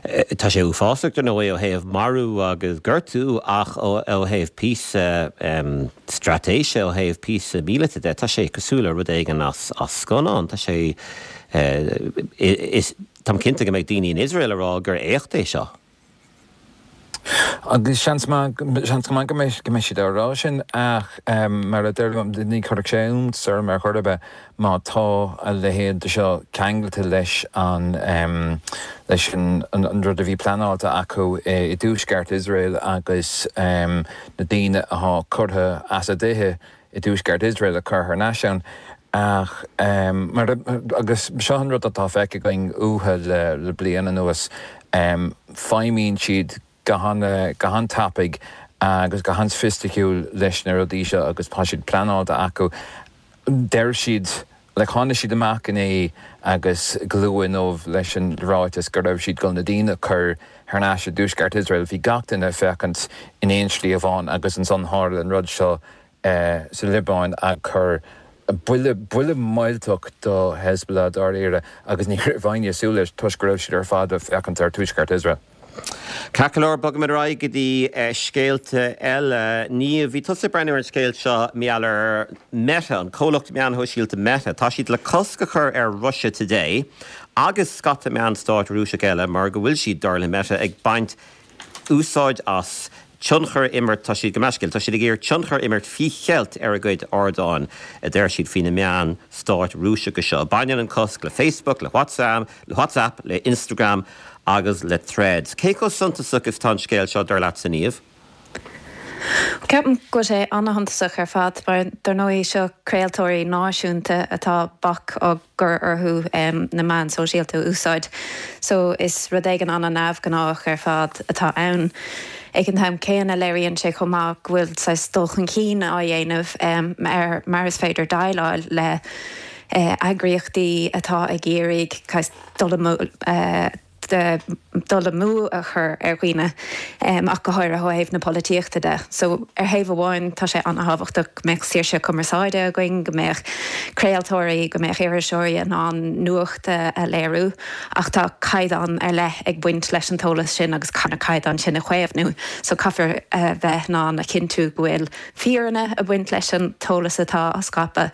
tá sé uafásach dar ndóigh ó thaobh marú agus gortú ach ó thaobh píosa straitéise, ó thaobh píosa míleata de, tá sé cosúil le rud éigin as scannán. Tá sé is táim cinnte go mbeidh daoine in Iosrael ag rá gur éacht é seo. Agus seans maith, seans go maith go mbeidh, go mbeidh siad á rá sin ach mar a deirim, ní chuirfeadh sé iontas orm ar chor ar bith má tá a leithéid de seo ceangailte leis an, leis an, an rud a bhí pleanáilte acu i dtuaisceart Iosrael agus na daoine atá curtha as a dtithe i dtuaisceart Iosrael a chur thar n-ais ann. Ach mar, agus seo an rud atá feicthe againn uathu le bliain anuas, feidhmíonn siad go han-tapaidh agus go han-soifisticiúil leis na rudaí seo agus tá siad pleanáilte acu. Deir siad, like tháinig siad amach inné agus go luath inniu leis an ráiteas go raibh siad ag dul na daoine a chur thar n-ais i dtuaisceart Iosrael. Bhí gach duine ag féachaint in aon slí amháin agus ansan tharla an rud seo sa Liobáin a chuir buille, buille millteach do Hezbollah dáiríre agus ní raibh éinne ag súil leis toisc go raibh siad ar fad ag féachaint ar tuaisceart Iosrael. Ceart go leor, bogfaimid ar aghaidh go dtí scéalta eile. Niamh, bhí tusa ag breathnú ar an scéal seo mar gheall ar Meta, an comhlacht meáin shóisialta Meta. Tá siad le cosc a chur ar Russia Today agus scata meán stáit Rúiseach eile mar go bhfuil siad, dar le Meta, ag baint úsáid as. tionchar a imirt, tá siad, gabh mo leithscéal, tá siad ag iarraidh tionchar a imirt faoi cheilt ar a gcuid ardáin, a deir siad faoi na meáin stáit Rúiseacha seo. Baineann an cosc le Facebook, le WhatsApp, le WhatsApp, le Instagram agus le Threads. Cé chomh suntasach is atá an scéal seo, dar leatsa, Niamh? Ceapaim go bhfuil sé an-shuntasach ar fad mar dar ndóigh seo craoltóirí náisiúnta atá bac á gcur orthu na meáin sóisialta a úsáid so is rud éigin an-neamhghnách ar fad atá ann. Ag an t-am céanna léiríonn sé chomh maith go bhfuil saghas dul chun cinn á dhéanamh ar mar is féidir déileáil le eagraíochtaí atá ag iarraidh dul dul amú a chur ar dhaoine, ach go háirithe ó thaobh na polaitíochta de. So, ar thaobh amháin, tá sé an-thábhachtach go mbeadh saoirse cumarsáide againn, go mbeadh craoltóirí, go mbeadh iriseoirí in ann nuacht a léiriú, ach tá caighdeán ar leith ag baint leis an t-eolas sin agus caithfear na caighdeáin sin a chaomhnú. So, caithfear a bheith in ann a chinntiú go bhfuil fírinne ag baint leis an t-eolas atá á scaipeadh,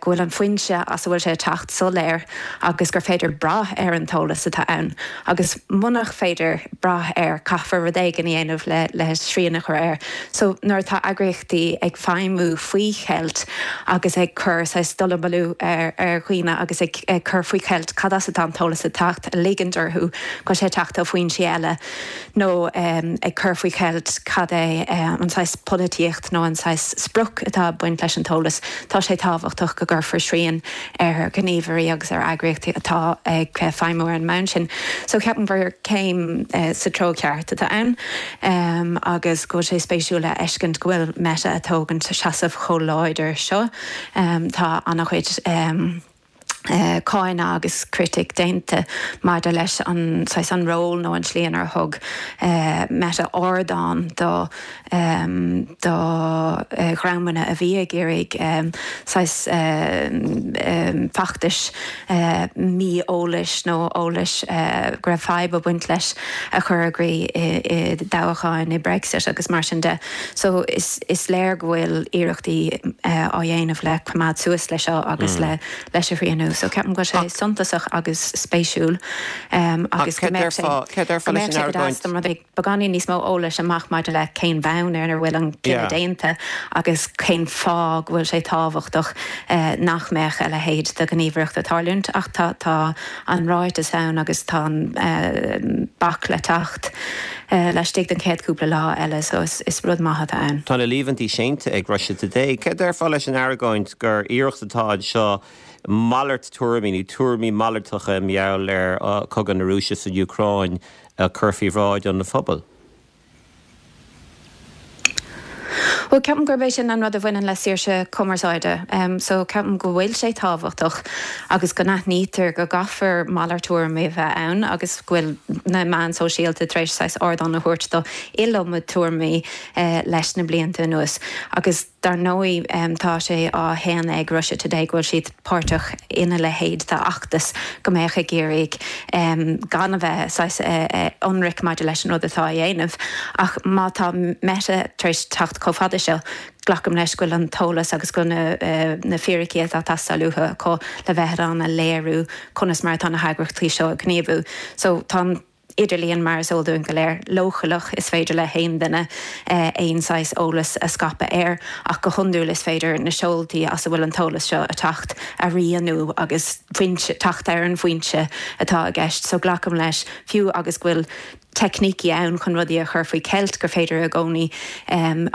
go bhfuil an foinse as a bhfuil sé ag teacht soiléir agus gur féidir brath ar an t-eolas atá ann. Agus munach féidir brath air, caithfear rud éigin a dhéanamh le le srian a chur air. So nuair atá eagraíochtaí ag feidhmiú faoi cheilt agus ag cur saghas dallamullóg ar ar dhaoine agus ag ag cur faoi cheilt cad as atá an t-eolas ag teacht, ag ligint orthu go bhfuil sé ag teacht ó foinsí eile, nó ag cur faoi cheilt cad é an saghas polaitíocht nó an saghas sprioc atá ag baint leis an t-eolas, tá sé tábhachtach go gcuirfear srian ar ghníomhairí agus ar eagraíochtaí atá ag feidhmiú ar an mbonn sin. So ceapaim gur céim sa treo ceart atá ann agus go bhfuil sé spéisiúil a fheiscint go bhfuil Meta ag tógaint seasamh chomh láidir seo. Tá an-chuid. cáineadh agus critic déanta maidir leis an saghas an ról nó an tslí inar thug Meta ardán do do dhreamanna a bhí ag iarraidh saghas feachtais mí-eolais nó eolais go raibh fadhb ag baint leis a chur i gcrích i dtoghcháin i Brexit agus mar sin de. So is is léir go bhfuil iarrachtaí á dhéanamh le coimeád suas le seo agus le leis a shrianú. So ceapaim go bhfuil sé suntasach agus spéisiúil agus go mbeadh sé go mbeadh sé go deas dá mbeadh beagáinín níos mó eolais amach maidir le cén bhonn ar a bhfuil an cinneadh déanta agus cén fáth go bhfuil sé tábhachtach nach mbeadh a leithéid de ghníomhaireacht ag tarlúint. Ach tá tá an ráiteas ann agus tá an bac le teacht laistigh den chéad cúpla lá eile so is rud maith atá ann. Tá na líomhaintí séanta ag Russia Today. Céard a déarfá leis an argóint gur iarracht atá anseo malairt tuairimí nó tuairimí malartacha i ngeall ar chogadh na Rúise san Úcráin a chur faoi bhráid an phobail? Bhuel, ceapaim gurb é sin an rud a bhaineann le saoirse cumarsáide. So, ceapaim go bhfuil sé tábhachtach agus go n-aithnítear go gcaithfear malairt tuairimí a bheith ann agus go bhfuil na meáin sóisialta tar éis saghas ardán a thabhairt do iliomad tuairimí leis na blianta anuas. Agus. Dar ndóigh, tá sé á shéanadh ag Russia Today go bhfuil siad páirteach ina leithéid d'fheachtas go mbeadh ag iarraidh gan a bheith saghas ionraic maidir leis an rud atá á dhéanamh. Ach má tá Meta tar éis teacht chomh fada seo, glacaim leis go bhfuil an t-eolas agus go bhfuil na fíricí atá ag teastáil uathu acu le bheith in ann a léiriú conas mar atá na heagraíochtaí seo ag gníomhú. So tá an. idirlíon, mar is eol dúinn go léir, leochaileach, is féidir le haon duine aon saghas eolas a scaipeadh air, ach go hiondúil is féidir na seoltaí as a bhfuil an t-eolas seo ag teacht a rianú agus foinse, teacht ar an bhfoinse atá i gceist. So glacaim leis, fiú agus go bhfuil teicnící ann chun rudaí a chur faoi cheilt, gur féidir i gcónaí,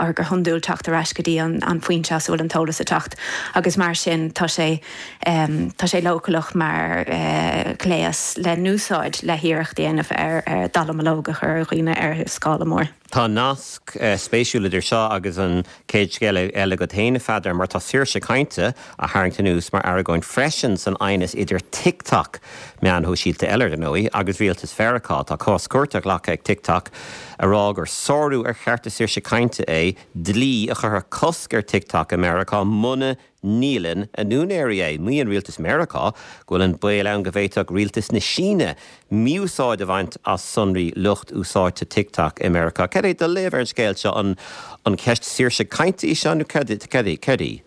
or go hiondúil, teacht ar ais go dtí an foinse as a bhfuil an t-eolas ag teacht agus mar sin tá sé. Tá sé leochaileach mar ghléas le n-úsáid le hiarracht a dhéanamh ar dallamullóg a chur ar dhaoine ar scála mór. Tá nasc spéisiúil idir seo agus an chéad scéal eile agat féin, a Pheadair, mar tá saoirse cainte á tharraingt anuas mar argóint freisin san aighneas idir TikTok, meán shóisialta eile ar ndóigh, agus rialtas Mheiriceá. Tá cás cúirte glactha ag TikTok a rá gur sárú ar chearta saoirse cainte é dlí a chuirfeadh cosc ar TikTok i Meiriceá muna ndíolann a n-úinéirí é. Maíonn rialtas Meiriceá go bhfuil an baol ann go bhféadfadh rialtas na Síne mí-úsáid a bhaint as sonraí lucht úsáidte TikTok i Meiriceá. Cad é do léamh ar an scéal seo? An ceist saoirse cainte í seo nó cad í?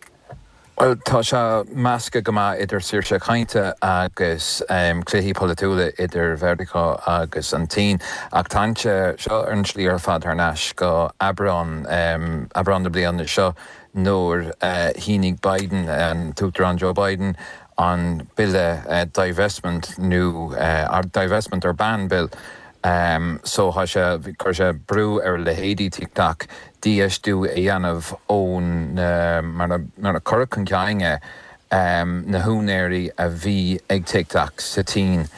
Bhuel, tá sé measctha go maith idir saoirse cainte agus cluichí polaitiúla idir Mheiriceá agus an tSín, ach tá sé seo ar an tslí ar fad thar n-ais go Aibreán, Aibreán na bliana seo nuair a shínigh Biden, an tUachtarán Joe Biden, an bille Divestment nó Divestment or Ban Bill. So tá sé, chuir sé brú ar leithéidí TikTok dífheistiú a dhéanamh ón, mar a cuireadh chun cinn é, na húinéirí a bhí ag TikTok sa tSín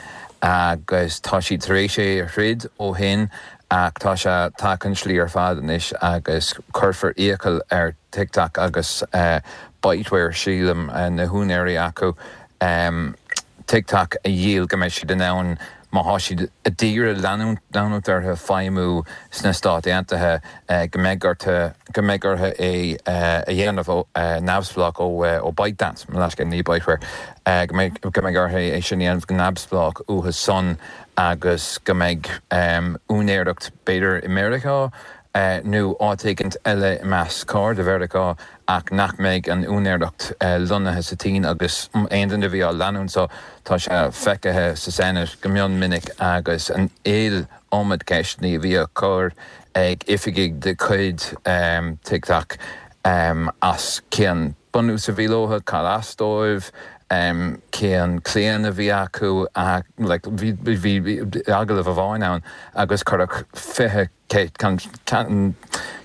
agus tá siad tar éis é a throid ó shin ach tá sé tagtha an tslí ar fad anois agus cuirfear iachall ar TikTok agus Byteware, sílim, na húinéirí acu, TikTok a dhíol go mbeidh siad in ann má thá siad a d'iarraidh leanúint orthu feidhmiú sna Stáit Aontaithe, go mbeidh orthu, go mbeidh orthu é a dhéanamh neamhspleách ó ByteDance, mo leithscéal, ní Byteware, go mbeidh, go mbeidh orthu é sin a dhéanamh go neamhspleách uathu san agus go mbeidh úinéireacht b'fhéidir i Meiriceá nó áit éigint eile i measc cairde Mheiriceá ach nach mbeidh an úinéireacht lonnaithe sa tSín agus aon duine a bhí á leanúint so tá sé feicthe sa Senate go mion minic agus an iliomad ceisteanna a bhí á cur ag oifigigh de chuid TikTok as cén bunús a bhí leo, cad as dóibh, cén claonadh a bhí acu, like bhí bhí agallamh amháin ann agus cuireadh 20 an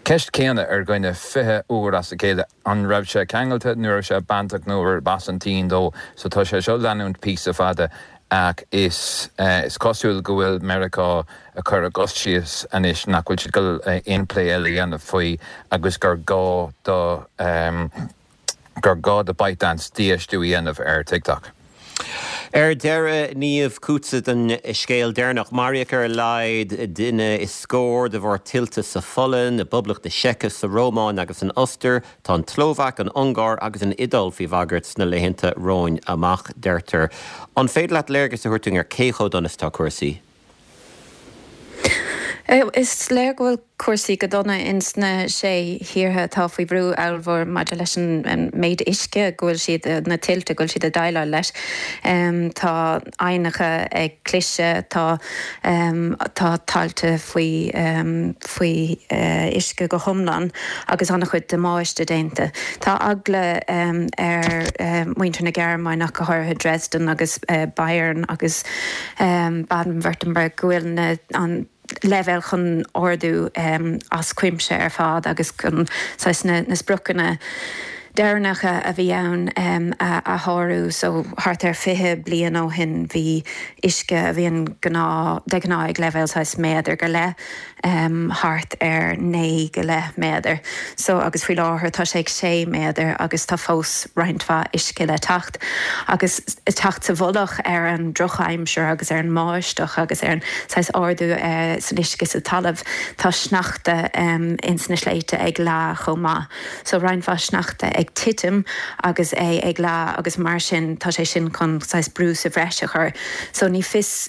ceist céanna ar dhuine 20 uair as a chéile, an raibh sé ceangailte nó raibh sé bainteach nó arb as an tSín dó. So tá sé seo leanúint píosa fada ach is is cosúil go bhfuil Meiriceá ag cur a gcos síos anois nach bhfuil siad ag dul aon plé eile a dhéanamh faoi agus gur gá do gur gá do ByteDance dífheistiú a dhéanamh ar TikTok. Ar deireadh, Niamh, chugatsa don scéal deireanach. Maraíodh ar a laghad duine is scór de bharr tuilte sa Pholainn, i bPoblacht na Seice, sa Rómáin agus san Ostair. Tá an tSlóvaic, an Ungáir agus an Iodáil faoi bhagairt sna laethanta romhainn amach, deirtear. An féidir leat léargas a thabhairt dúinn ar cé chomh dona is atá cúrsaí? Is léir go bhfuil cúrsaí go dona ins na sé thíortha atá faoi bhrú ollmhór maidir leis an méid uisce go bhfuil siad, na tuilte go bhfuil siad ag déileáil leis. Tá aibhneacha ag cliseadh, tá tá tailte faoi faoi uisce go hiomlán agus an-chuid damáiste déanta. Tá eagla ar mhuintir na Gearmáine ach go háirithe Dresden agus Bayern agus Baden-Württemberg go bhfuil na an leibhéal chun ardú as cuimse ar fad agus chun saghas na na spriocanna deireanacha a bhí ann a shárú. So thart ar 20 bliain ó shin bhí uisce a bhíonn gnáth de ghnáth ag leibhéal saghas méadar go leith thart ar 9 go leith méadar. So agus faoi láthair tá sé ag 6 méadar agus tá fós roinnt mhaith uisce le teacht. Agus ag teacht sa mhullach ar an drochaimsir agus ar an mbáisteach agus ar an saghas ardú san uisce sa talamh, tá sneachta ins na sléibhte ag leá chomh maith. So roinnt mhaith sneachta ag titim agus é ag leá agus mar sin tá sé sin chun saghas brú sa bhreis a chur. So ní fios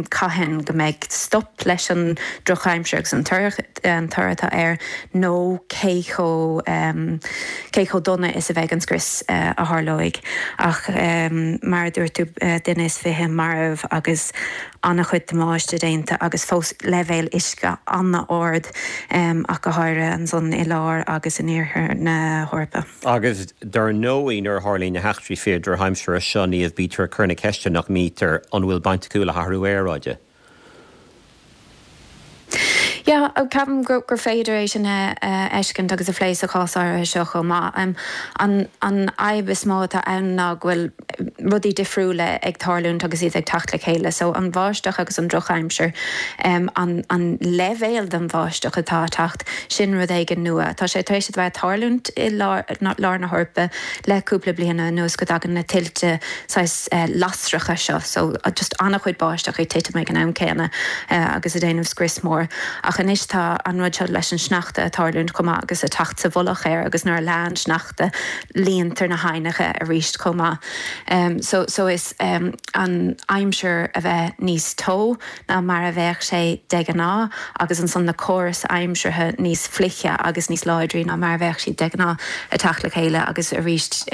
cathain go mbeidh stop leis an drochaimsir agus an toradh atá air nó cé chomh cé chomh dona is a bheidh an scrios a tharlóidh. Ach mar a dúirt tú duine is 20 marbh agus an-chuid damáiste déanta agus fós leibhéil uisce an-ard ach go háirithe ansan i lár agus in iarthar na hEorpa. Agus dar ndóigh nuair a tharlaíonn na heachtraí fíor-drochaimsire seo, Niamh, bítear ag cur na ceiste, nach mbítear, an bhfuil baint acu le hathrú aeráide? Yeah, ceapaim gur féidir é sin a fheiscint agus a phlé sa chás áirithe seo chomh maith. An fhadhb is mó atá ann ná go bhfuil rudaí difriúla ag tarlúint agus iad ag teacht le chéile. So an bháisteach agus an drochaimsir, an an leibhéal den bháisteach atá ag teacht, sin rud éigin nua. Tá sé tar éis a bheith ag tarlúint i lár na hEorpa le cúpla bliain anuas go dtagann na tuilte saghas lasracha seo, so just an-chuid báisteach ag titim ag an am céanna agus ag déanamh scrios mór. Ach. Ach anois tá an rud seo leis an sneachta ag tarlúint chomh maith agus ag teacht sa mhullach air agus nuair a leánn sneachta líontar na haibhneacha arís chomh maith. So so is an aimsir a bheith níos teo ná mar a bheadh sé de ghnáth agus ansan na córais aimseartha níos fliche agus níos láidrí ná mar a bheadh siad de ghnáth ag teacht le chéile agus arís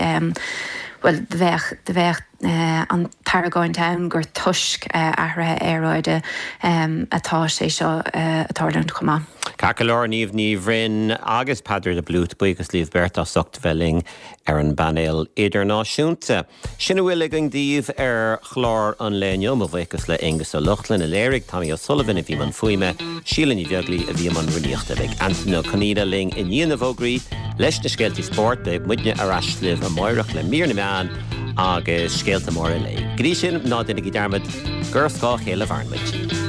bhuel bheadh bheadh an t-argóint ann gur toisc athruithe aeráide atá sé seo ag tarlúint chomh maith. Ceart go leor, Niamh Ní Bhroin agus Peadar de Blúit, buíochas libh beirt as ucht bheith linn ar an bpainéal idirnáisiúnta. Sin a bhfuil againn daoibh ar chlár an lae inniu. Mo bhuíochas le Aonghus Ó Lochlainn a léirigh, Tommy O'Sullivan a bhí i mbun fuaime, Síle Ní Bheaglaoi a bhí i mbun rúnaíochta. Beidh Antain Ó Conaola linn i ndiaidh na bhfógraí leis na scéaltaí spóirt. Beidh muidne ar ais libh amáireach le mír na meán agus scéalta móra an lae. Go dtí sin, ná déanaigí dearmad gur ar scáth a chéile a mhaireann muid.